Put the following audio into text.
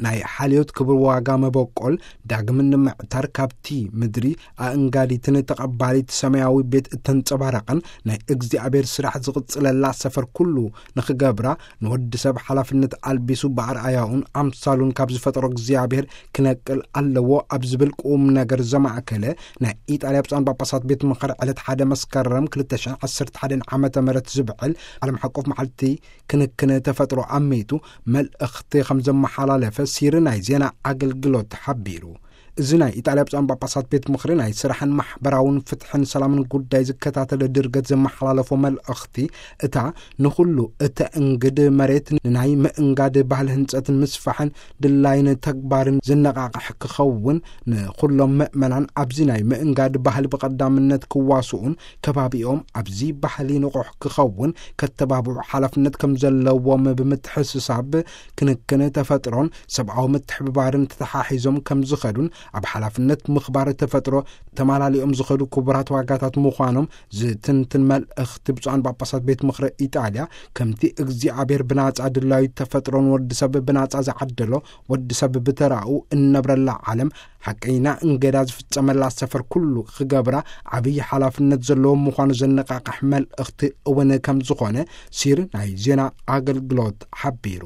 ናይ ሓልዮት ክብሪ ዋጋ መበቆል ዳግም ንምዕታር፣ ካብቲ ምድሪ ኣእንጋዲትን ተቐባሊት ሰማያዊ ቤት እተንጸባረቐን ናይ እግዚኣብሔር ስራሕ ዝቕጽለላ ሰፈር ኩሉ ንኽገብራ፣ ንወዲ ሰብ ሓላፍነት ኣልቢሱ ብኣርኣያኡን ኣምሳሉን ካብ ዝፈጠሮ እግዚኣብሔር ክነቅል ኣለዎ ኣብ ዝብል ቁም ነገር ዘማእከለ ናይ ኢጣልያ ብፁዓን ጳጳሳት ቤት ምኽሪ ዕለት ሓደ መስከረም ክልተ ሽሕን ዓሰርተ ሓደን ዓመተ ምህረት ዝብዕል ዓለም ሓቆፍ መዓልቲ ክንክን ተፈጥሮ ኣመይቱ መልእኽቲ ከም ዘመሓላለፈ ሲሪ ናይ ዜና ኣገልግሎት ሓቢሩ። እዚ ናይ ኢጣልያ ብፁዓን ጳጳሳት ቤት ምኽሪ ናይ ስራሕን ማሕበራውን ፍትሕን ሰላምን ጉዳይ ዝከታተል ድርገት ዘመሓላለፎ መልእኽቲ፣ እታ ንኹሉ እተእንግድ መሬት ንናይ ምእንጋድ ባህሊ ህንጸትን ምስፋሕን ድላይን ተግባርን ዝነቓቕሕ ክኸውን፣ ንኹሎም ምእመናን ኣብዚ ናይ ምእንጋድ ባህሊ ብቐዳምነት ክዋስኡን ከባቢኦም ኣብዚ ባህሊ ንቑሕ ክኸውን ከተባብዑ ሓላፍነት ከም ዘለዎም ብምትሕስሳብ፣ ክንክን ተፈጥሮን ሰብኣዊ ምትሕብባርን ተተሓሒዞም ከም ዝኸዱን ኣብ ሓላፍነት ምኽባር ተፈጥሮ ተማላሊኦም ዝኸዱ ክቡራት ዋጋታት ምዃኖም ዝትንትን መልእኽቲ ብፁዓን ጳጳሳት ቤት ምኽሪ ኢጣልያ፣ ከምቲ እግዚኣብሔር ብናጻ ድላዩ ተፈጥሮን ወዲ ሰብ ብናጻ ዝዓደሎ፣ ወዲ ሰብ ብተራኡ እነብረላ ዓለም ሓቀይና እንገዳ ዝፍጸመላ ሰፈር ኩሉ ክገብራ ዓብዪ ሓላፍነት ዘለዎ ምዃኑ ዘነቓቕሕ መልእኽቲ እውን ከም ዝኾነ ሲር ናይ ዜና ኣገልግሎት ሓቢሩ።